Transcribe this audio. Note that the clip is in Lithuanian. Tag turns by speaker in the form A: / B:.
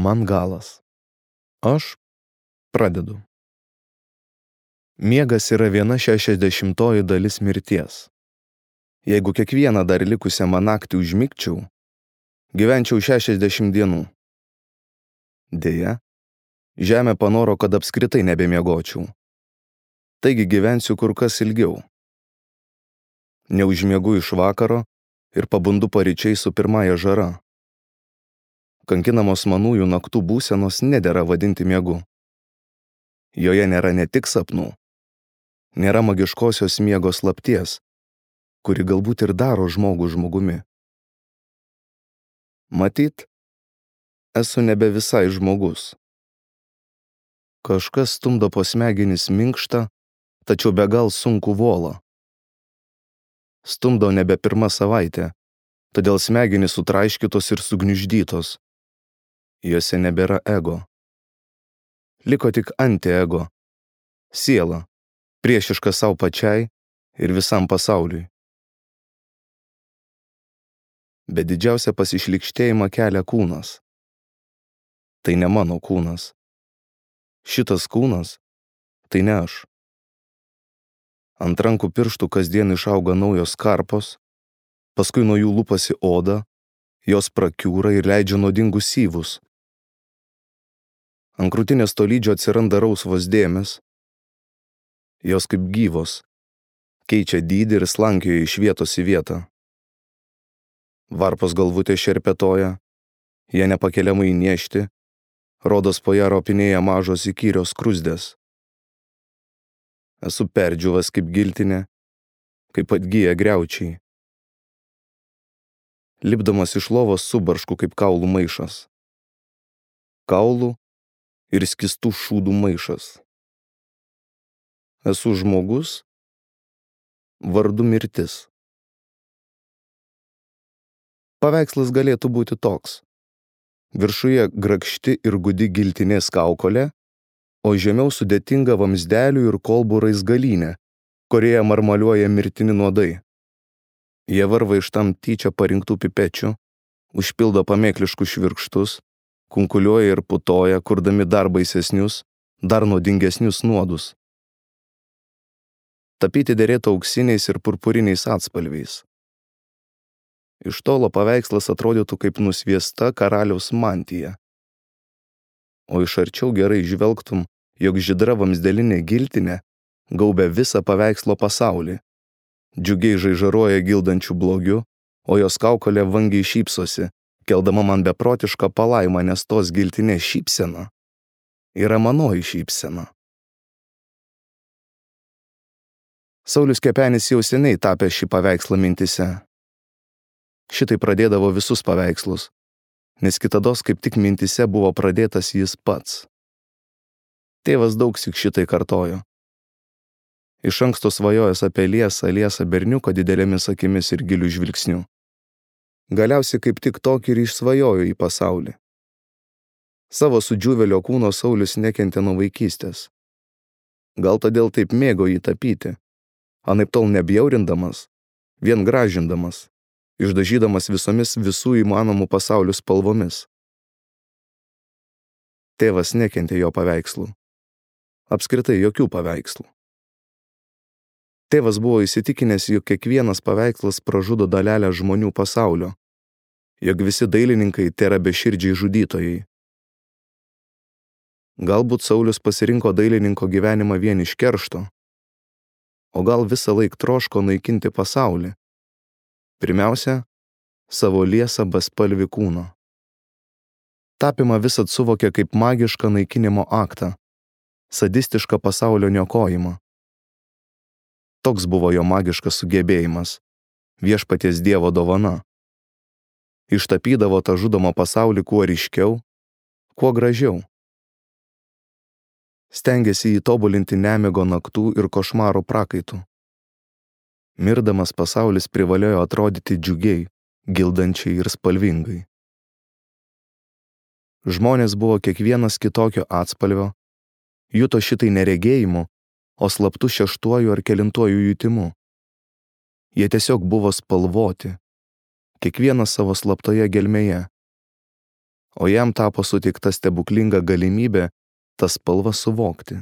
A: Man galas. Aš pradedu. Miegas yra 1/60 dalis mirties. Jeigu kiekvieną dar likusią man naktį užmigčiau, gyvenčiau 60 dienų. Deja, žemė panoro, kad apskritai nebemiegočiau. Taigi gyvensiu kur kas ilgiau. Neužmiegu iš vakaro ir pabundu paryčiai su pirmąja žara. Kankinamos manųjų naktų būsenos nedera vadinti miegu. Joje nėra ne tik sapnų, nėra magiškosios miego slapties, kuri galbūt ir daro žmogų žmogumi. Matyt, esu nebe visai žmogus. Kažkas stumdo po smegenis minkštą, tačiau be gal sunku volą. Stumdo nebe pirmą savaitę, todėl smegenys sutraiškytos ir sugniuždytos. Jose nebėra ego. Liko tik antiego, siela, priešiška savo pačiai ir visam pasauliui. Bet didžiausia pasišlykštėjimą kelia kūnas. Tai ne mano kūnas. Šitas kūnas – tai ne aš. Ant rankų pirštų kasdien išauga naujos karpos, paskui nuo jų lupasi oda, jos prakiūra ir leidžia nuodingus syvus. Ant krūtinės tolydžio atsiranda rausvos dėmės. Jos kaip gyvos, keičia dydį ir slankioja iš vietos į vietą. Varpos galvutė šerpetoja, jie nepakeliamai niešti, rodos po ją ropinėja mažos įkyrios skruzdės. Esu perdžiuvas kaip giltinė, kaip atgyja griaučiai. Lipdamas iš lovos subaršku kaip kaulų maišas. Kaulų ir skystų šūdų maišas. Esu žmogus, vardu mirtis. Paveikslas galėtų būti toks. Viršuje grakšti ir gudi giltinės kaukolė, o žemiau sudėtinga vamzdelių ir kolbų raizgalynė, kurioje marmaliuoja mirtini nuodai. Jie varva iš tam tyčia parinktų pipečių, užpildo pamėkliškus švirkštus, kunkuliuoja ir putoja, kurdami dar baisesnius, dar nuodingesnius nuodus. Tapyti derėtų auksiniais ir purpuriniais atspalviais. Iš tolo paveikslas atrodytų kaip nusviesta karaliaus mantija. O iš arčiau gerai žvelgtum, jog žydra vamzdelinė giltinė gaubia visą paveikslo pasaulį. Džiugiai žaižaruoja gildančių blogiu, o jos kaukolė vangiai šypsosi, keldama man beprotišką palaimą, nes tos giltinės šypsena yra manoji šypsena. Saulius Kepenis jau seniai tapė šį paveikslą mintise. Šitai pradėdavo visus paveikslus, nes kitados kaip tik mintise buvo pradėtas jis pats. Tėvas daugsyk šitai kartojo. Iš anksto svajojęs apie liesą berniuką didelėmis akimis ir gilių žvilgsnių. Galiausiai kaip tik tokį ir išsvajojo į pasaulį. Savo sudžiūvelio kūno Saulius nekentė nuo vaikystės. Gal todėl taip mėgo jį tapyti, anaiptol nebjaurindamas, vien gražindamas, išdažydamas visomis visų įmanomų pasaulių spalvomis. Tėvas nekentė jo paveikslų. Apskritai jokių paveikslų. Tėvas buvo įsitikinęs, jog kiekvienas paveikslas pražudo dalelę žmonių pasaulio, jog visi dailininkai tėra beširdžiai žudytojai. Galbūt Saulius pasirinko dailininko gyvenimą vien iš keršto, o gal visą laik troško naikinti pasaulį. Pirmiausia, savo liesą bespalvį kūną. Tapimą visad suvokė kaip magišką naikinimo aktą, sadistišką pasaulio niokojimą. Toks buvo jo magiškas sugebėjimas, viešpaties Dievo dovana. Ištapydavo tą žudomą pasaulį kuo ryškiau, kuo gražiau. Stengėsi jį tobulinti nemigo naktų ir košmarų prakaitų. Mirdamas pasaulis privalėjo atrodyti džiugiai, gildančiai ir spalvingai. Žmonės buvo kiekvienas kitokio atspalvio, juto šitai neregėjimu, o slaptu šeštuoju ar kelintuoju jutimu. Jie tiesiog buvo spalvoti, kiekvienas savo slaptoje gelmėje. o jam tapo suteikta stebuklinga galimybė tas spalvas suvokti.